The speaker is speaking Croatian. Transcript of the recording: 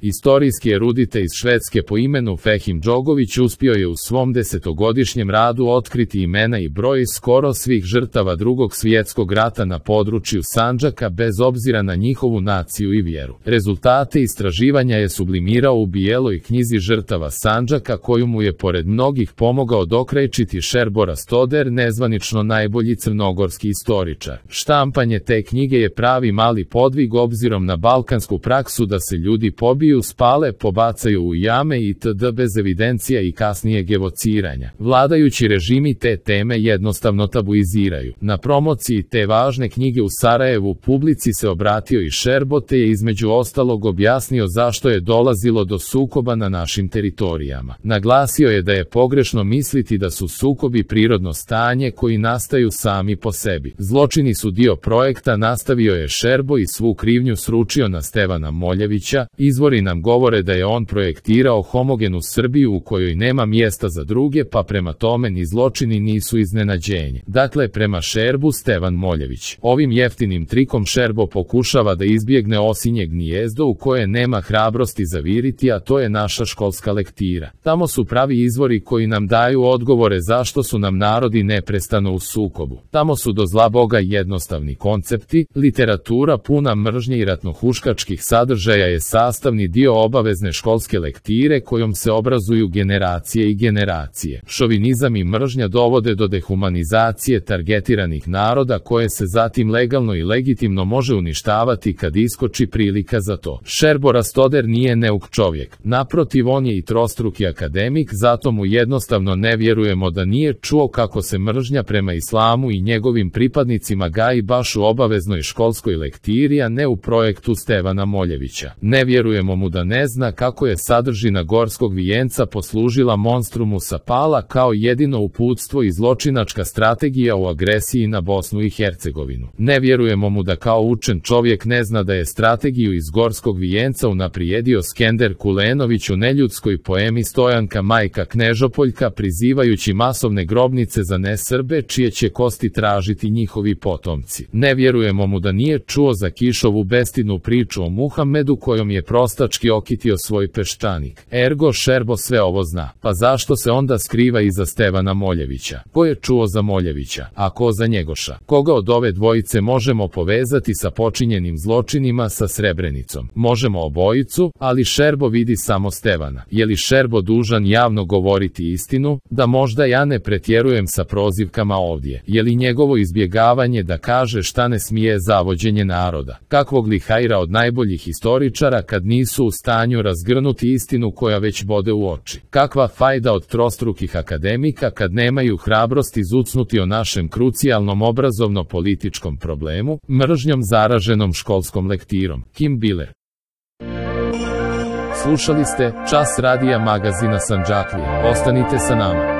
Istorijski erudite iz Švedske po imenu Fehim Đogović uspio je u svom 10-godišnjem radu otkriti imena i broj skoro svih žrtava Drugog svjetskog rata na području Sandžaka bez obzira na njihovu naciju i vjeru. Rezultate istraživanja je sublimirao u bijeloj knjizi žrtava Sandžaka koju mu je pored mnogih pomogao dokrajčiti Šerbo Rastoder, nezvanično najbolji crnogorski istoričar. Štampanje te knjige je pravi mali podvig obzirom na balkansku praksu da se ljudi pobiju, spale, pobacaju u jame itd. bez evidencija i kasnijeg evociranja. Vladajući režimi te teme jednostavno tabuiziraju. Na promociji te važne knjige u Sarajevu publici se obratio i Šerbo te je između ostalog objasnio zašto je dolazilo do sukoba na našim teritorijama. Naglasio je da je pogrešno misliti da su sukobi prirodno stanje koji nastaju sami po sebi. Zločini su dio projekta, nastavio je Šerbo i svu krivnju sručio na Stevana Moljevića. Izvori nam govore da je on projektirao homogenu Srbiju u kojoj nema mjesta za druge, pa prema tome ni zločini nisu iznenađenje. Dakle, prema Šerbu Stevan Moljević. Ovim jeftinim trikom Šerbo pokušava da izbjegne osinje gnijezdo u koje nema hrabrosti zaviriti, a to je naša školska lektira. Tamo su pravi izvori koji nam daju odgovore zašto su nam narodi neprestano u sukobu. Tamo su do zla Boga jednostavni koncepti, literatura puna mržnje i ratnohuškačkih sadržaja je sastavni dio obavezne školske lektire kojom se obrazuju generacije i generacije. Šovinizam i mržnja dovode do dehumanizacije targetiranih naroda koje se zatim legalno i legitimno može uništavati kad iskoči prilika za to. Šerbo Rastoder nije neuk čovjek. Naprotiv, on je i trostruki akademik, zato mu jednostavno ne vjerujemo da nije čuo kako se mržnja prema islamu i njegovim pripadnicima gaji baš u obaveznoj školskoj lektiri, a ne u projektu Stevana Moljevića. Ne vjerujemo mu da ne zna kako je sadržina Gorskog vijenca poslužila monstrumu Sapala kao jedino uputstvo i zločinačka strategija u agresiji na Bosnu i Hercegovinu. Ne vjerujemo mu da kao učen čovjek ne zna da je strategiju iz Gorskog vijenca unaprijedio Skender Kulenović u neljudskoj poemi Stojanka Majka Knežopoljka, prizivajući masovne grobnice za nesrbe čije će kosti tražiti njihovi potomci. Ne vjerujemo mu da nije čuo za Kišovu bestidnu priču o Muhammedu kojom je prostački okitio svoj peščanik. Ergo Šerbo sve ovo zna. Pa zašto se onda skriva iza Stevana Moljevića? Ko je čuo za Moljevića, a ko za Njegoša? Koga od ove dvojice možemo povezati sa počinjenim zločinima sa Srebrenicom? Možemo obojicu, ali Šerbo vidi samo Stevana. Je li Šerbo dužan javno govoriti istinu? Da možda ja ne pretjerujem sa prozivkama ovdje. Je li njegovo izbjegavanje da kaže šta ne smije zavođenje naroda? Kakvog li hajra od najboljih historičara kad nisu u stanju razgrnuti istinu koja već bode u oči? Kakva fajda od trostrukih akademika kad nemaju hrabrosti zucnuti o našem krucijalnom obrazovno-političkom problemu, mržnjom zaraženom školskom lektirom? Kim Biller. Slušali ste Čas radija magazina Sandžaklija. Ostanite sa nama.